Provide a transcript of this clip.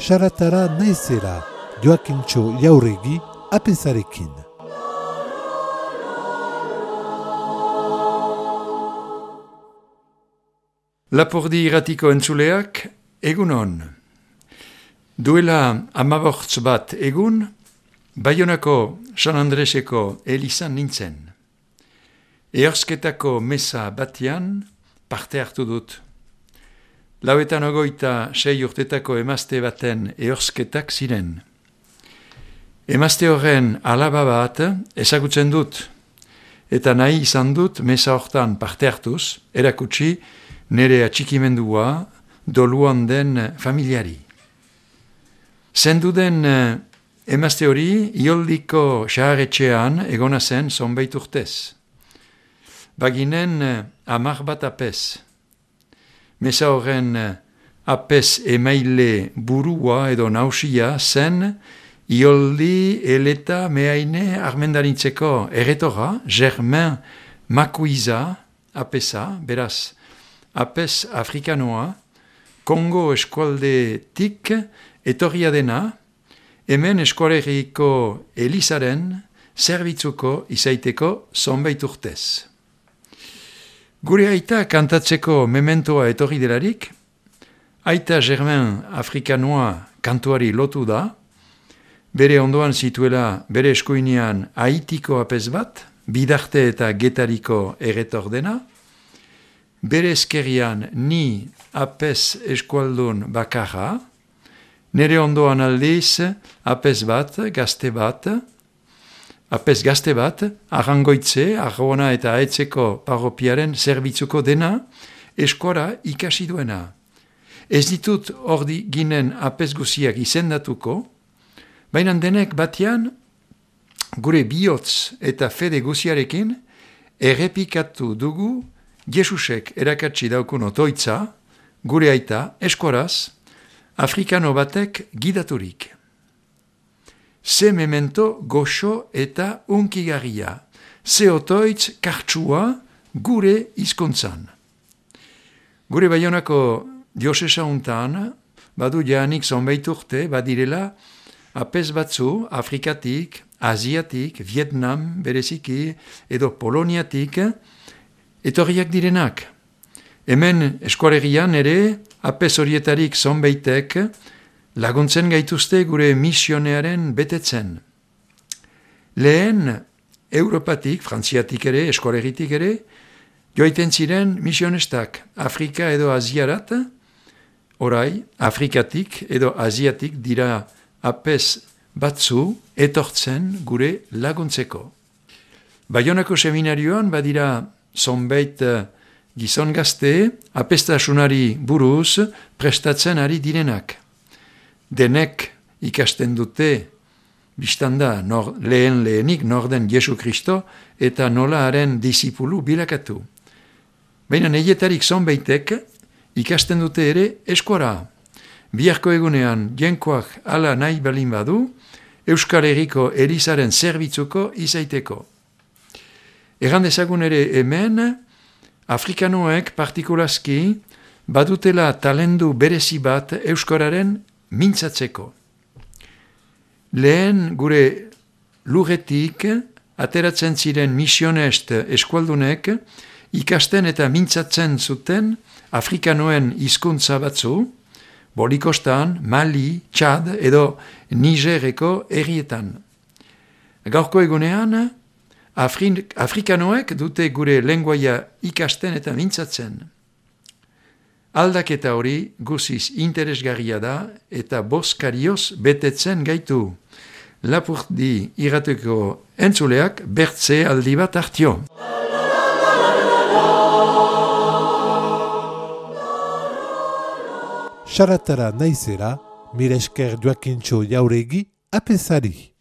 Saratara naizela, Joakintxo Jauregi, apezarekin. Lapurdi irratiko entzuleak, egunon. Duela 15 bat egun, Baionako San Andreseko elizan nintzen. Ehorzketako mesa batean parte hartu dut. 96 urtetako emazte baten ehorzketak ziren. Emazte horren alaba bat ezagutzen dut, eta nahi izan dut mesa hortan parte hartuz, erakutsi nire atxikimendua doluan den familiari. Zendu den emazte hori Ioldiko saharetxean egona zen zonbait urtez. Baginen 10 bat apez. Mesa horren apez emaile burua edo nausia zen Ioldi eleta mehaine armendarintzeko erretora, Germain Makuiza apeza, beraz, apez afrikanoa, Kongo eskualdetik etorria dena, hemen eskualeriko elizaren zerbitzuko izaiteko zonbait urtez. Gure aita kantatzeko mementoa etorri delarik, aita Germain afrikanoa kantuari lotu da, bere ondoan zituela bere eskuinean Haitiko apez bat, Bidarte eta Getariko erretor dena, bere eskerrian ni apez eskualdun bakarra, nere ondoan aldiz apez bat, apez gazte bat, Arrangoitze, Argona eta Aetzeko parropiaren zerbitzuko dena, eskuara ikasi duena. Ez ditut ordi ginen apez guziak izendatuko, baina denek batean, gure bihotz eta fede guziarekin, errepikatu dugu Jesusek erakatsi daukun otoitza, gure aita eskuaraz, afrikano batek gidaturik. Ze memento goxo eta unkigarria, ze otoitz kartsua gure hizkuntzan. Gure Baionako diosesa untan, badu jaanik zonbait urte, badirela, apez batzu Afrikatik, Asiatik, Vietnam, bereziki, edo Poloniatik, etorriak direnak. Hemen eskualerian ere, apez horietarik zonbaitek, laguntzen gaituzte gure misionearen betetzen. Lehen, Europatik, Frantziatik ere, eskualeritik ere, joaiten ziren misionestak Afrika edo Asiarat, orai, Afrikatik edo Asiatik dira apez batzu etortzen gure laguntzeko. Baionako seminarioan badira zonbait gizon gazte apeztasunari buruz prestatzen ari direnak. Denek ikasten dute, biztanda lehenik norden Jesu Kristo eta nola haren disipulu bilakatu. Baina neietarik zonbaitek ikasten dute ere eskuara. Biharko egunean jenkoak ala nahi balin badu, Euskal Herriko elizaren zerbitzuko izaiteko. Egan dezagun ere hemen, afrikanoek partikulazki badutela talendu berezi bat euskararen mintzatzeko. Lehen gure lurretik ateratzen ziren misionest eskualdunek ikasten eta mintzatzen zuten afrikanoen hizkuntza batzu, Bolikostan, Mali, Txad edo Nigereko herrietan. Gaurko egunean, afrikanoek dute gure lenguaia ikasten eta mintzatzen. Aldaketa hori guziz interesgarria da eta bozkarioz betetzen gaitu. Lapurdi irrateko entzuleak bertze aldi bat hartio. Saratara naizela, mire esker Joakintxo Jauregi, apezari.